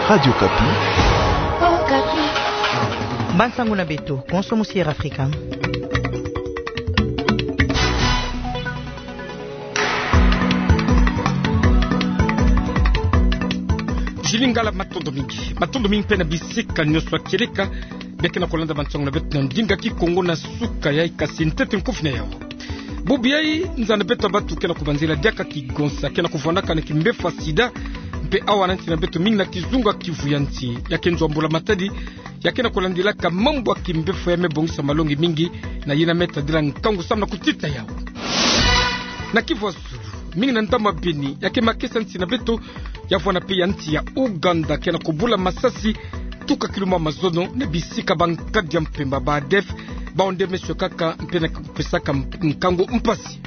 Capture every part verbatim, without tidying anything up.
Radio Okapi. Bansangu na beto, konso musiera Afrika. Julie Ngala, matondo mingi. Matondo mingi mpe na bisika nyonso ya kieleka bia ke na kolanda bansangu na beto na ndinga Kikongo na suka ya ika sintete nkufi na yau. Bubu yai nza na beto ya batu ke na kubanzila diaka kigonsa ke na kuvwandaka na kimbefu ya sida, mpe awa na nsi na beto mingi na kizunga Kivu ya nsi, ya ke nzo ya mbula matadi ya ke na kulandilaka mambu ya kimbefu ya me bongisa malongi mingi, na yina me tadila nkangu samu na kutita yau. Na Kivu ya zulu, mingi na ndambu ya Beni, ya ke makesa nsi na beto, ya vwanda mpe ya nsi ya Ouganda, ke na kubula masasi tuka kiluma mazono na bisika bankadi ya mpemba ba ADF, bawu nde me sokaka mpe na kupesaka mp-, nkangu mpasi.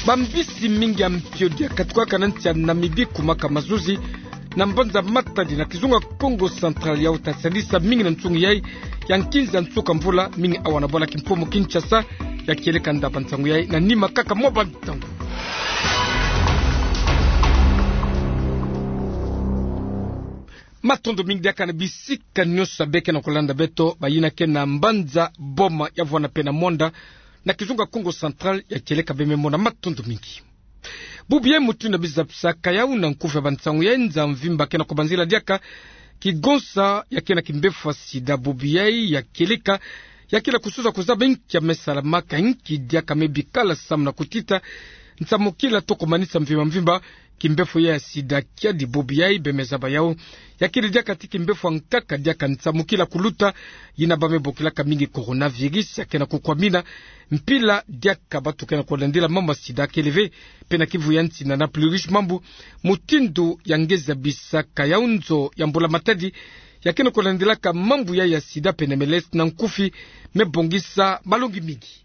Bambisi mingi ya mpio dia katukaka na nsi ya Namibie kumaka mazuzi na mbanza Matadi na kizunga Kongo Central, yau ta sadisa mingi na nsungi yai ya nkinza nsuka mvula, mingi awa na bwala Kimpumu Kinshasa. Ya kieleka nda bansangu yai na nima kaka mwa bantangu. Matondo mingi diaka na bisika nyonso bia ke na kulanda beto, bayina ke na mbanza Boma, ya vwanda mpe na Moanda, na kizunga Kongo Central, ya kieleka bia me mona, matondo mingi. Bubu yai mutindu na bizapisaka yau na nkufi ya bansangu yai, nza mvimba ke na kubanzila diaka kigonsa ya ke na kimbefu ya sida. Bubu yai ya kieleka, ya ke na kusuza kuzaba inki ya me salamaka, inki diaka me bikala samu na kutita nsamukila to kumanisa mvimba mvimba kimbefu ya sida. Kiadi bubu yai bia me zaba yau, ya kele diaka ti kimbefu ya nkaka diaka nsamukila kuluta, yina ba me bokilaka mingi coronavirus, ya ke na kukwamina mpila diaka batu ke na kulandila mambu ya sida. Kele ve mpe na Kivu ya nsi na Nord-Uruguay mambu mutindu ya nge zabisaka yau, nzo ya mbula matadi ya ke na kulandilaka mambu yai ya sida pene melesi na nkufi me bongisa malongi mingi.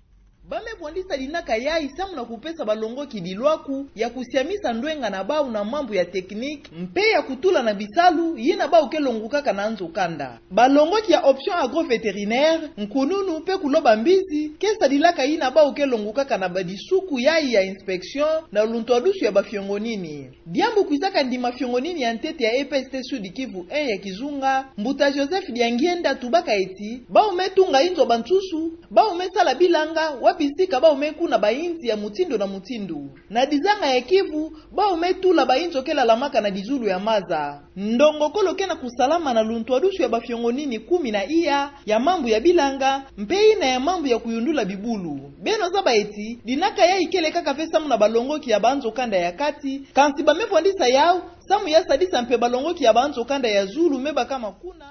Ba me bwandisa dinaka yai samu na kupesa balongoki dilwaku ya kusiamisa ndwenga na bawu na mambu ya technique, mpe ya kutula na bisalu yina bawu ke longukaka na nzo kanda. Balongoki ya option agrovétérinaire, nkununu mpe kuloba mbizi, ke sadilaka yina bawu ke longukaka na badisuku yai ya inspection na luntwadusu ya bafiongonini. Diambu kwisaka ndima fiongonini ya ntete ya E P S T Sud-Kivu un ya kizunga, Mbuta Joseph Diangienda, tubaka eti bawu me tunga inzo bansusu, bawu me sala bilanga, wa bisika bawu me kuna bainzi ya mutindu na mutindu. Na dizanga ya Kivu, bawu me tula bainzo ke lalamaka na dizulu ya maza. Ndongokolo ke na kusalama na luntwadusu ya bafiongonini kumi na iya ya mambu ya bilanga, mpe ina ya mambu ya kuyundula bibulu. Beno zaba eti dinaka yai kele kaka ve samu na balongoki ya banzo kanda ya kati, kansi ba me bwandisa yau samu ya sadisa mpe balongoki ya banzo kanda ya zulu me bakama kuna.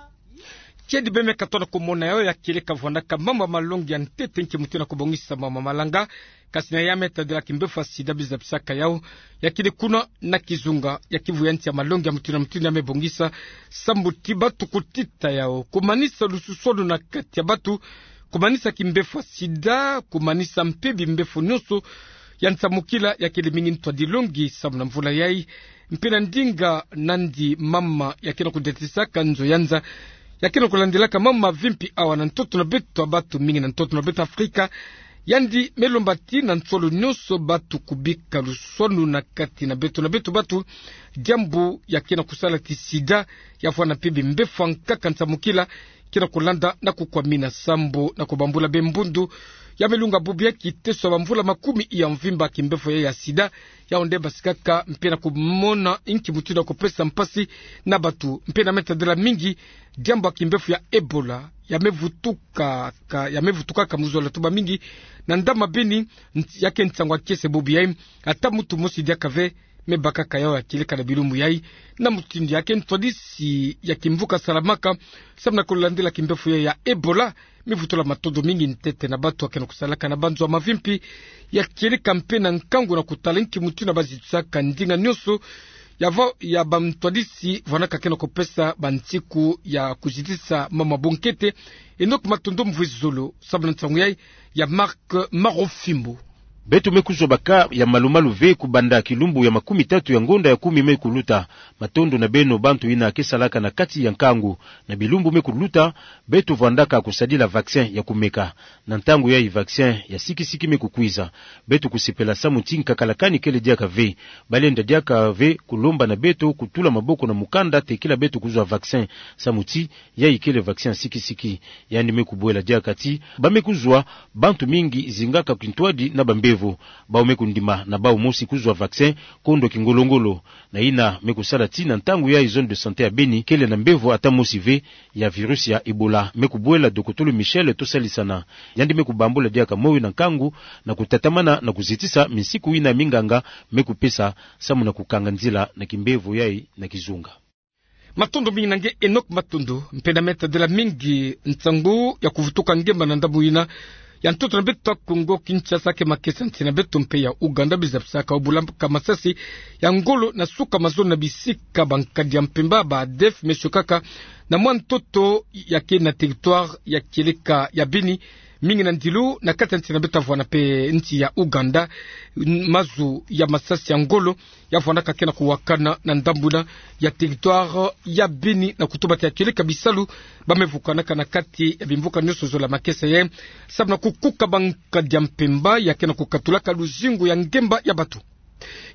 Kiadi bia me katono kumona yau, ya kieleka vwandaka mambu ya malongi ya ntete nki mutindu na kubongisa mambu ya malanga, kasi na ya me tadila kimbefu ya sida bizapisaka yau, ya kele kuna na kizunga ya Kivu ya nsi ya malongi ya mutindu na mutindu ya me bongisa sambu ti batu kutita yau, kumanisa lususwanu na kati ya batu, kumanisa kimbefu ya sida, kumanisa mpe bimbefu nyonso ya nsamukila. Ya kele mingi ntwadilongi samu na mvula yai, mpe na ndinga nandi mama ya ke na kudetisaka nzo ya nza, ya ke na kulandilaka mambu mavimpi awa na ntoto na beto ya batu, mingi na ntoto na beto Afrika, yandi me lomba ti na nsolo nyonso batu kubika luswanu na kati na beto na beto batu, diambu ya ke na kusala ti sida ya vwanda mpe bimbefu ya nkaka nsamukila ke na kulanda na kukwamina, sambu na kubambula bembundu ya me lunga bubu ya kiteso ya bamvula makumi ya mvimba kimbefu ya, ya sida, yau nde basikaka mpe na kumona inki mutindu ya kupesa mpasi na batu, mpe na me tadila mingi diambu ya kimbefu ya Ebola ya me vutukaka, ya me vutukaka mu zola, tuba mingi na ndambu ya Beni, nt-, ya ke nsangu ya kiese bubu yai, ata mutu mosi diaka ve me bakaka yau, ya kieleka na bilumbu yai, na mutindu ya ke ntwadisi ya kimvuka salamaka samu na kulandila kimbefu ya, ya Ebola, me vutula matondo mingi ntete na batu ya ke na kusalaka na banzo ya mavimpi. Ya kieleka mpe na nkangu na kutala inki mutindu na bazitusaka ndinga nyonso ya va-, ya bantwadisi vwandaka ke na kupesa bansiku ya kuzitisa mama bunkete. Enoch Matondo Mvwizulu, samu na nsangu yai ya Marc Marofimbo. Beto me kuzwa ba cas ya malu-malu ve kubanda kilumbu ya makumi tatu ya ngonda ya kumi me kuluta. Matondo na beno bantu yina ke salaka na kati ya nkangu. Na bilumbu me kuluta, beto vwandaka kusadila vaccin ya kumeka. Na ntangu yayi vaccin ya sikisiki me kukwiza. Beto kusepela samu ti nkakalakani kele diaka ve. Balenda diaka ve kulomba na beto kutula maboko na mukanda tekila beto kuzwa vaccin, samu ti yayi kele vaccin ya sikisiki. Yandi me kubwela diaka ti ba me kuzwa, bantu mingi zingaka kintwadi na bambevo. Bawu me kundima na bawu mosi kuzwa vaccin kondo kingolo-ngolo. Na yina me kusala ti na ntangu yayi zone de santé ya Beni kele na mbevo ata mosi ve ya virus ya Ebola. Me kubwela dokotolo Michel Tosalisana. Yandi me kubambula diaka moyo na nkangu na kutatamana na kuzitisa minsiku yina minganga me kupesa samu na kukanga nzila na kimbevo yayi na kizunga. Matondo mingi na nge Enoch Matondo, mpe na Me tadila mingi nsangu ya kuvutuka ngemba na ndambu yina ya ntoto na beto Kongo Kinshasa ke makesa nsi na beto mpe ya Ouganda, biza bisaka obula ka masasi ya ngolo na suka mazono na bisika ba nkadi ya mpemba ba ADF me siokaka na mwa ntoto ya ke na territoire ya kieleka ya Beni, mingi na ndilu na kati ya nsi na beto vwanda mpe nsi ya Ouganda. Mazu ya masasi ya ngolo ya vwandaka ke na kuwakana na ndambu yina ya territoire ya Beni na kutuba ti ya kieleka bisalu ba me vukanaka na kati ya bimvuka nyonso zola makesa yayi, samu na kukuka ba nkadi ya mpemba ya ke na kukatulaka luzingu ya ngemba ya bato.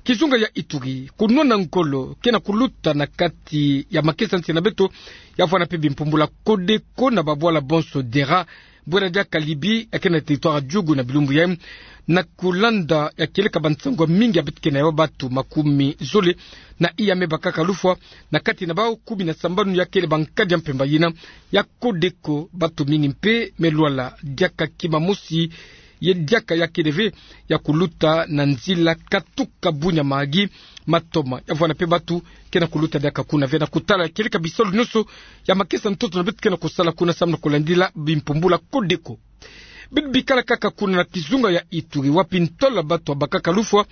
Kizunga ya Ituri, kunwana ngolo ke na kuluta na kati ya makesa nsi na beto ya vwanda mpe bimpumbula Codeco na babwala bonso Dera, bwela diaka Libye ya ke na territoire ya Djugu na bilumbu yayi, na kulanda ya kieleka bansangu mingi ya beto ke na yo, bato makumi zole na iya me bakaka lufwa, na kati na bawu kumi na sambanu ya kele ba nkadi ya mpemba yina ya Codeco. Bato mingi mpe me lwala diaka kima mosi ye diaka ya kele ve ya kuluta na nzila katuka bunya Mahagi. Matoma ya vwanda mpe bato ke na kuluta diaka kuna ve na kutala ya kieleka bisalu nyonso ya makesa ntoto na beto ke na kusala kuna samu na kulandila bimpumbula Codeco. Beto bikala kaka kuna na kizunga ya Ituri, wapi ntola bato ya bakaka lufwa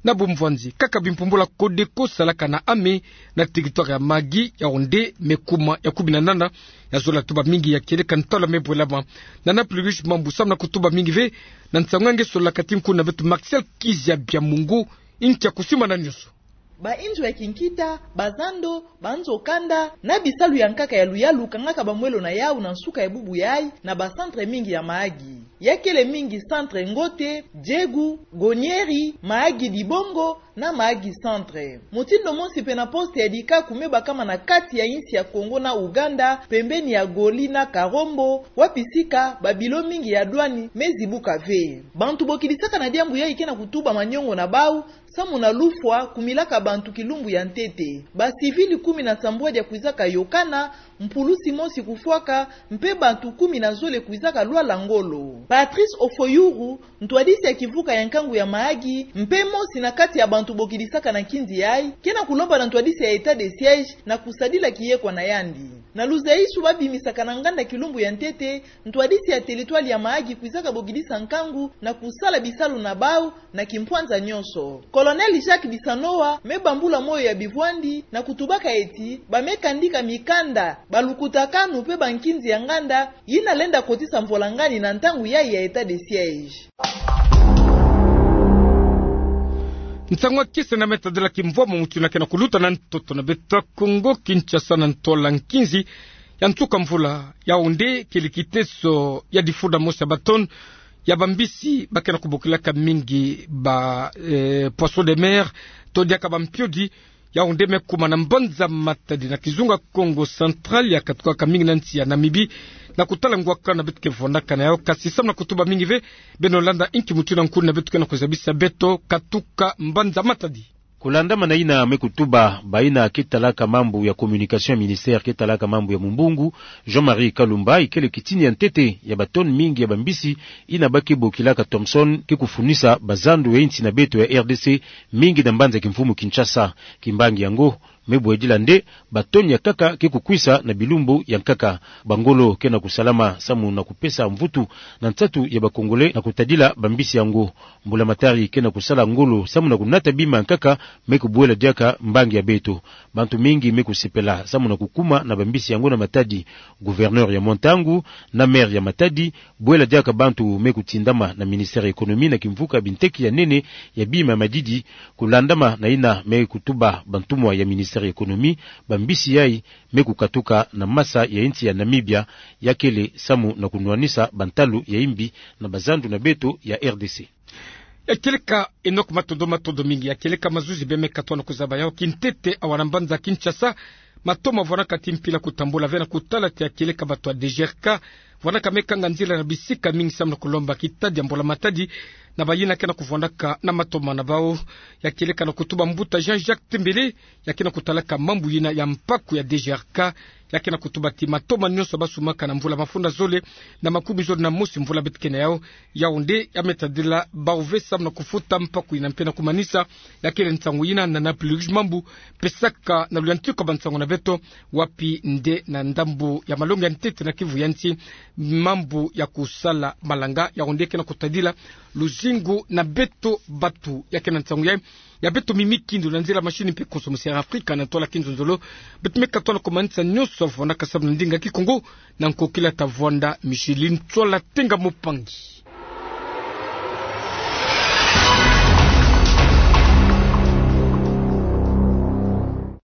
na bumvwanzi. Kaka bimpumbula Codeco salaka na ame na territoire ya Mahagi, Yaoundé, me kuma ya kumi na nana. Ya zola tuba mingi ya kieleka ntola me bwelama na Nana Plurius Mambu samu na kutuba mingi ve na nsangu nge sololaka ti kuna na beto Martial Kizia Biamungu, nkia kusimbana nyonso. Ba inzo ya kinkita, ba zando, ba nzo kanda, na bisalu ya nkaka ya luyalu kangaka ba mwelo na yawu na nsuka ya bubu yayi na ba centre mingi ya Mahagi. Ya kele mingi centre Ngote, Djegu, Gonieri, Mahagi Dibongo, na Mahagi Centre. Motindo mosi mpe na poste ya Dikaku me bakama na kati ya insi ya Kongo na Ouganda, pembeni ya Goli na Karombo, wapi sika ba bilo mingi ya douane me zibuka ve. Bantu bokidisaka na diambu yayi ke na kutuba manyongo na bawu, samu na lufwa kumilaka bantu kilumbu ya ntete. Ba civil kumi na sambwadi ya kwizaka yokana, mpulusi mosi kufwaka, mpe bantu kumi na zole kwizaka lwala ngolo. Patrice Ofoyourou, ntwadisi ya kivuka ya nkangu ya Mahagi, mpe mosi na kati ya bantu bokidisaka na nkinzi yayi, ke na kulomba na ntwadisi ya état de siège na kusadila kiyekwa na yandi. Na luzaisu ba bimisaka na nganda kilumbu ya ntete, ntwadisi ya territoire ya Mahagi kwizaka bokidisa nkangu na kusala bisalu na bawu na kimpwanza nyonso. Colonel Jacques Bisanoa me bambula moyo ya bivwandi na kutubaka ti ba me kandika mikanda, ba lukutakanu mpe ba nkinzi ya nganda yina lenda kotisa mvwalangani na ntangu yayi ya état de siège. Nsangu ya kisa na Me tadila kimvwama mutu yina ke na kuluta na ntoto na beto Kongo Kinshasa na ntola nkinzi ya nsuka mvula, Yaoundé, kele kiteso ya difunda mosi ya ba tonne ya bambisi ba ke na kubokilaka mingi ba, eh, poisson de mer, to diaka ba mpiodi. Yaoundé me kuma na mbanza Matadi na kizunga Kongo Central, ya katukaka mingi na nsi ya Namibie na kutala ngwakala na beto ke vwandaka na yawu. Kasi samu na kutuba mingi ve, beno landa inki mutu yina nkulu na beto ke na kuzabisa beto katuka mbanza Matadi. Kulandamana yina me kutuba bayina ke talaka mambu ya communication ya ministère ke talaka mambu ya mumbungu, Jean-Marie Kalumba, ikele kitini ya ntete ya ba tonne mingi ya bambisi yina ba ke bokilaka Thomson ke kufunisa bazando ya insi na beto ya R D C, mingi na mbanza kimfumu Kinshasa. Kimbangi yango me bwedila nde batoni ya nkaka ke kukwisa na bilumbu ya nkaka. Bangolo ke na kusalama samu na kupesa mvutu na nsatu ya ba Congolais na kutadila bambisi yango. Mbulamatari ke na kusala ngolo samu na kunata bima ya nkaka me kubwela diaka mbangi ya beto. Bantu mingi me kusepela samu na kukuma na bambisi yango na matadi. Gouverneur ya mwa ntangu na maire ya Matadi, bwela diaka bantu me kutindama na ministère ya économie na kimvuka binteki ya nene ya bima ya madidi, kulandama na yina me kutuba bantumwa ya ministère ya économie, bambisi yayi me kukatuka na masa ya insi ya Namibia, ya kele samu na kunwanisa bantalu ya imbi na bazandu na beto ya R D C. Ya kieleka Enoch, matondo, matondo mingi. Ya kieleka mazuzi bê me katwa na kuzaba yawu kintete awa na mbanza Kinshasa, matoma vwanaka ti mpila kutambula ve na kutala ti ya kieleka bato ya D G R K vwanaka me kanga nzila na bisika mingi samu na kulomba kitadi ya mbula matadi na bayina ke na kuvwandaka na matoma na bawu. Ya kieleka na kutuba mbuta Jean-Jacques Tembele, ya ke na kutalaka mambu yina ya mpaku ya D G R K, ya ke na kutuba ti matoma nyonso basumaka na mvula mafunda zole na makumi zole na mosi mvula beto ke na yawu, yawu nde ya me tadila bawu ve samu na kufuta mpaku yina mpe na kumanisa. Ya kele nsangu yina na Napluj Mambu pesaka na luyantika bansangu na beto, wapi nde na ndambu ya malongi ya ntete na Kivu ya nsi, mambu ya kusala malanga, yawu nde ke na kutadila luzingu na beto bato. Ya ke na nsangu yayi ya beto mimi kindu na nzila mashini mpe consommation ya Afrika na ntwala kinzonzolo. Beto me katwa na kumanisa nyonso vwanaka samu na ndinga Kikongo, na nkokila ta vwanda Micheline Tswala Tenga Mopangi.